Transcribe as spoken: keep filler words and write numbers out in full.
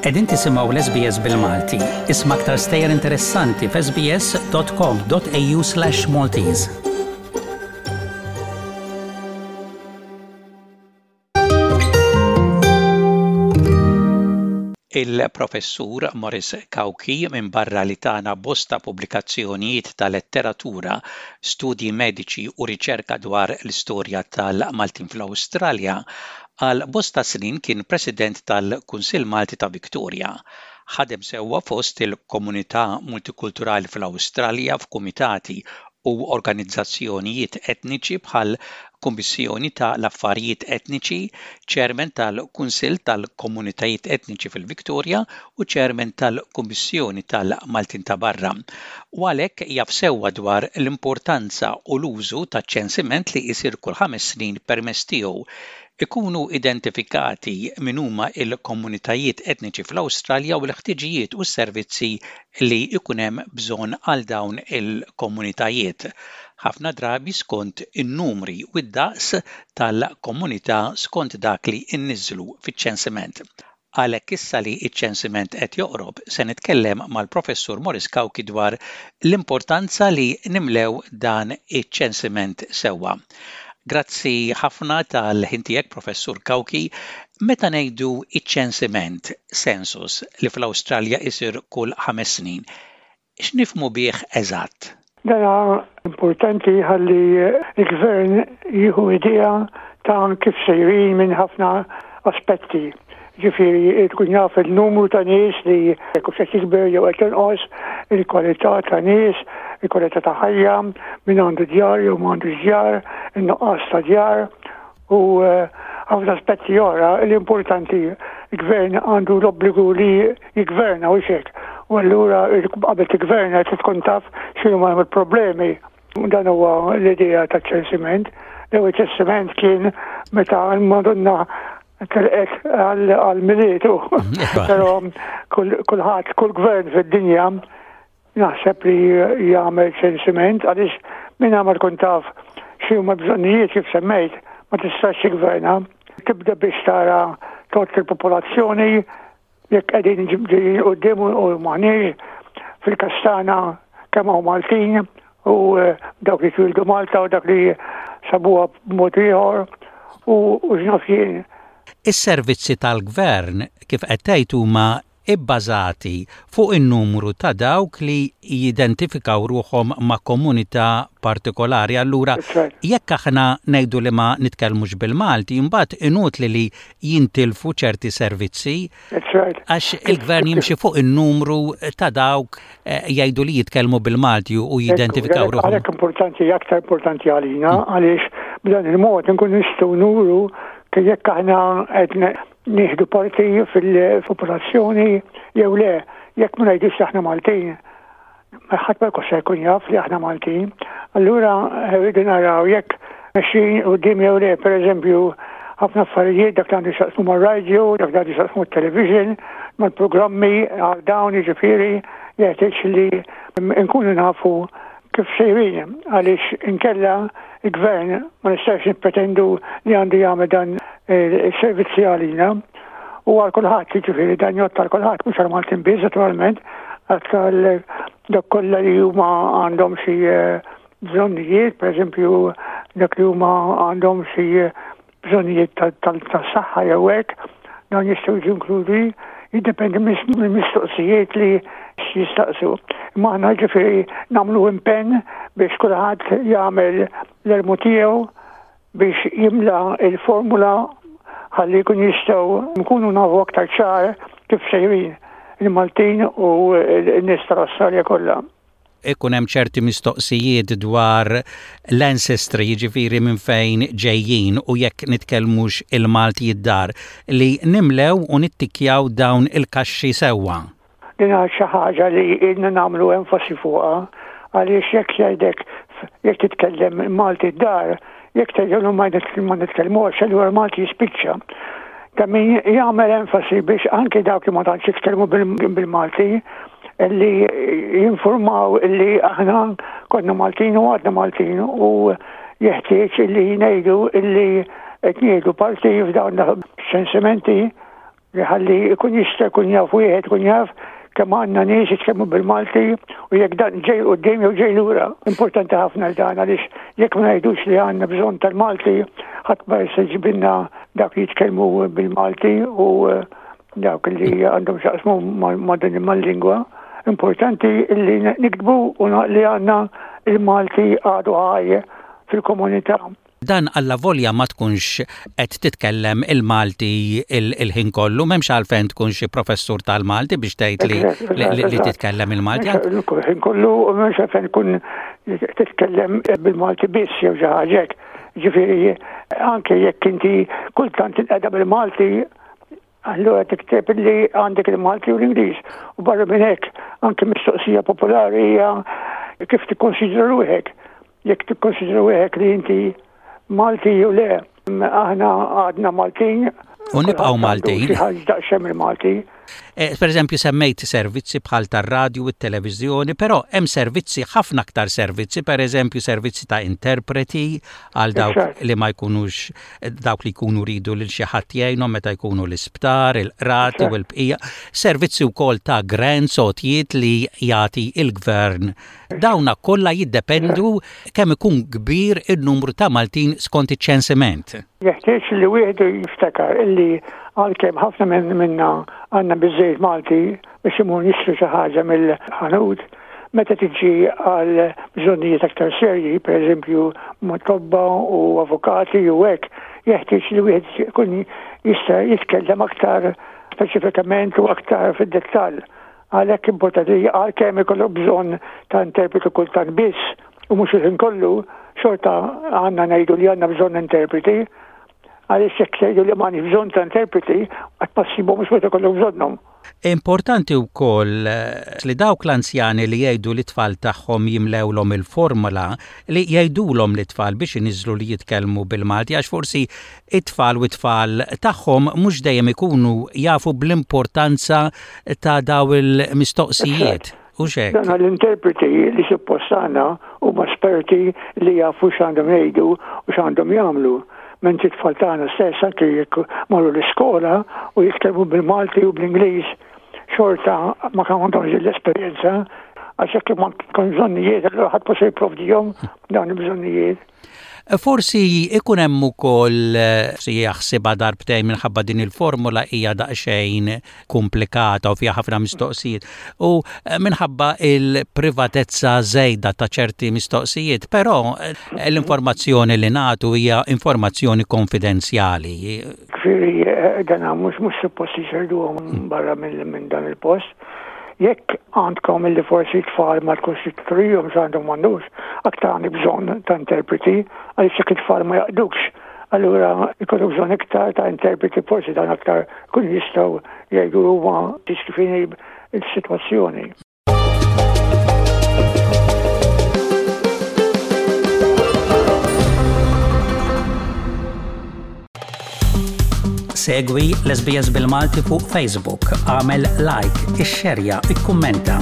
Qegħdin tisimgħu l-S B S bil-Malti. Isma' aktar stejjer interessanti f'S B S dot com dot A U slash Maltese. Il-professur Maurice Cauchi, minn barra li tana bosta pubblikazzjonijiet ta' letteratura, studji mediċi u riċerka dwar l-istorja tal-Maltin fl-Awstralja, għal bosta snin kien president tal-Kunsill Malti ta' Victoria. Ħadem sewwa fost il-komunità multikulturali fl-Awstralja f'kumitati u organizzazzjonijiet etniċi bħal Kummissjoni ta' l-Affarijiet Etniċi, Chairman tal-Kunsill tal-Komunitajiet Etniċi fil-Victoria u Chairman tal-Kummissjoni tal-Maltin ta' Barra. U għalhekk jaf sewwa dwar l-importanza u l-użu ta' ċensiment li jsir kull ħames snin, permezz tiegħu ikunu identifikati min huma il-komunitajiet etniċi fl-Awstralja u l-ħtiġijiet u s-servizzi li ikun hemm bżonn għal dawn il-komunitajiet, ħafna drabi skont in-numri u d-daqs tal-komunità, skont dak li nniżlu fiċ-ċensiment. Għalhekk, issa li iċ-ċensiment qed joqrob, se nitkellem mal-professur Maurice Cauchi dwar l-importanza li nimlew dan iċ-ċensiment sewwa. Grazzi ħafna tal-ħin tiegħek, Professur Cauchi. Meta ngħidu iċ-ċensiment, census, li fl-Awstralja isir kull ħames snin, x'nifhmu bih eżatt? Dana importanti ħalli il-gvern jieħu idea ta' kif sejrin minn ħafna aspetti. Ġifieri, tkun jaf il-numru ta' nies li jekk qed jikber jew qed jonqos, il-kwalità ta' nies, il-kwalità ta' ħajja, min għandu djar jew m'għandu djar, in-nuqqas ta' djar u eh, ħafna aspetti oħra l-importanti. Il-gvern għandu l-obbligu li jigverna u xek. U allura qabel tigverna trid tkun taf x'inhuma l-problemi. Dan huwa l-idea ta' ċensiment. L-ewwel ċensiment kien meta l-Madonna telqet għal-Milied. Però kulħadd, kull gvern fid-dinja naħseb li jagħmel ċensiment, għaliex minn ma tkun taf x'huma bżonnijiet, kif semmejt, ma tistax tiggverna. Tibda biex tara tot il-popolazzjoni, jekk qegħdin ġejjin quddiem u m'aħniex, fil-każ tagħna kemm hawn Maltin u eh, dawk li twildu Malta u dak li sabuha b'mod ieħor u x'naf jien. Is-servizzi tal-gvern, kif qed tgħid, huma ibbażati fuq in-numru ta' dawk li jidentifikaw ruħhom ma' komunità partikolari. Allura, jekk aħna ngħidu li ma nitkellmux bil-Malti, imbagħad inutli li jintilfu ċerti servizzi għax il-gvern jimxi fuq in-numru ta' dawk eh, jgħidu li jitkellmu bil-Malti u jidentifikaw ruħhom. Għalhekk importanti, aktar importanti għalina, għaliex b'dan il-mod nkun nistgħu nuru jekk aħna qed nieħdu parti fil-popolazzjoni jew le. Jekk ma ngħidux aħna Maltin, ħadd ma jkun se jkun jaf li aħna Maltin. Allura rridu naraw jekk mexjin quddiem jew le. Per eżempju, ħafna affarijiet, dak li għandu x'jaqsmu mar-radio, dak li għandu x'jaqsmu television, mal-programmi għal dawn, jiġifieri jeħtieġ li nkunu nafu kif sejrin, għaliex inkella il-gvern ma nistax nippretendu li għandu jagħmel dan il-servizzi għalina u għal kulħadd. Jiġifieri dan jgħodd għal kulħadd, mhux għal Maltin biss naturalment, għal dak kollha li huma għandhom xi eh, bżonnijiet, pereżempju dak li huma għandhom xi bżonnijiet tas-saħħa jew hekk, dawn jistgħu jiġu inkludi, jiddependi mill-mistoqsijiet li jistaqsu. Imma aħna, ġifieri, nagħmlu impenn biex kulħadd jagħmel l-almu tiegħu biex jimla il-formula ħalli jkun jistgħu nkunu nafu aktar ċar kif sejrin il-Maltin u n-nies tal-Awstralja kollha. Ikun hemm ċerti mistoqsijiet dwar l-ancestry, jiġifieri minn fejn ġejjin u jekk nitkellmux il-Malti id-dar, li nimlew u nittikjaw dawn il-kaxxi sewwa. Din xi ħaġa li ilna nagħmlu enfasi fuqha, għaliex jekk jgħidek jekk titkellem Malti d-dar, jekk tgħidu ma nitkellmux, allura Malti jispiċċa. Ta' min jagħmel enfasi biex anke dawk li ma tantx jitkellmu bil-Malti li jinformaw li aħna konna Maltin u għadna Maltin u jeħtieġ li ngħidu li qed nieħdu parti f'dawn ċensimenti. Ħalli jkun jista' jkun jaf wieħed ikun jaf kemm għandna nies jitkellmu bil-Malti u jekk dan ġej quddiem jew ġej lura. Importanti ħafna dan għaliex jekk ma ngħidux li għandna bżonn tal-Malti, ħadd ma se jġibilna dak li jitkellmu bil-Malti u eh, dawk li għandhom x'jaqsmu ma' din mal-lingwa. Importanti li niktbu u li għandna il-Malti għadu ħaj fil-komunità. Dan allavolja ma tkunx qed titkellem il-Malti il-ħin kollu, m'hemmx għalfejn tkun xi professur tal-Malti biex tgħid li li titkellem il-Malti. Il-ħin kollu m'hemmx għalfejn tkun titkellem bil-Malti biss jew xi ħaġa hekk. Ġifieri anke jekk inti kultant tinqeda bil-Malti, allura tikteb li għandek il-Malti u l-Ingliż. U barra minn hekk anke mistoqsija popolari hija kif tikkonsidra ruħek. Jekk tikkonsidra ruħek li inti Malti jew le, aħna għadna Maltin. U nibqgħu Maltin. Xi ħaġa daqsxejn il-Malti. Eh, per eżempju, semmejt servizzi bħal tar-radju u t-televiżjoni, però hemm servizzi, ħafna aktar servizzi, per eżempju servizzi ta' interpreti għal dawk li ma jkunux, dawk li jkunu ridu lil xi ħadd jgħinhom meta jkunu l-isptar, il-qrati u l-bqija, servizzi wkoll ta' grants, għotjiet li jagħti il-gvern. Dawna kollha jiddependu kemm ikun kbir in-numru ta' Maltin skont iċ-ċensiment. Jeħtieġ li wieħed jiftakar illi għalkemm ħafna minn minna għandna biżejjed Malti biex imur nixtru xi ħaġa mill-ħanut, meta tiġi għal bżonnijiet aktar serji, per eżempju ma' tobba u avukati u hekk, jeħtieġ li wieħed ikun jista' jitkellem aktar speċifikament u aktar fid-dettall. Għalhekk importanti għalkemm ikollok bżonn ta' interpretu kultant biss u mhux il-ħin kollu, xorta għandna ngħidu li għandna bżonn interpreti, għaliex jekk tgħidu li m'għandix bżonn ta' interpreti, qatt ma ssibhom mhux meta jkollok bżonnhom. Importanti wkoll li dawk l-anzjani li jgħidu lit-tfal tagħhom jimlewlhom il-formula, li jgħidulhom lit-tfal biex iniżlu li jitkellmu bil-Malti, għax forsi it-tfal u t-tfal tagħhom mhux dejjem ikunu jafu bl-importanza ta' daw il-mistoqsijiet. U xek? Dan l-interpreti li suppost għandna huma esperti li jafu x'għandhom jgħidu u x'għandhom jagħmlu. Mentri t-tfal tagħna stess anke jekk marru l-iskola u jitkellmu bil-Malti u bl-Ingliż, xorta ma għandhomx l-esperjenza, għax jekk ma tkun bżonnijiet, allura ħadd ma se jipprovdihom dawn il-bżonnijiet. Forsi ikun hemm ukoll si jaħsibha darbtejn minħabba din il-formula hija daqsxejn komplikata u fiha ħafna mistoqsijiet u minħabba il-privatezza żejda ta' ċerti mistoqsijiet, però l-informazzjoni li nagħtu hija informazzjoni konfidenzjali. Ġifieri dan mhux mhux suppost jxerduhom barra minn dan il-post. Jekk għandkom illi forsi tfal ma tkunx tridhom x'għandhom m'għandux, aktar għandek bżonn ta' interpreti, għaliex jekk it-tfal ma jaqdukx, allura jkollok bżonn iktar ta' interpreti, forsi dan aktar kun jistgħu jgħidu huma kif inhi s-sitwazzjoni. Segwi l-S B S bil-Malti fuq Facebook, għamel like, ixxerja, ikkummenta.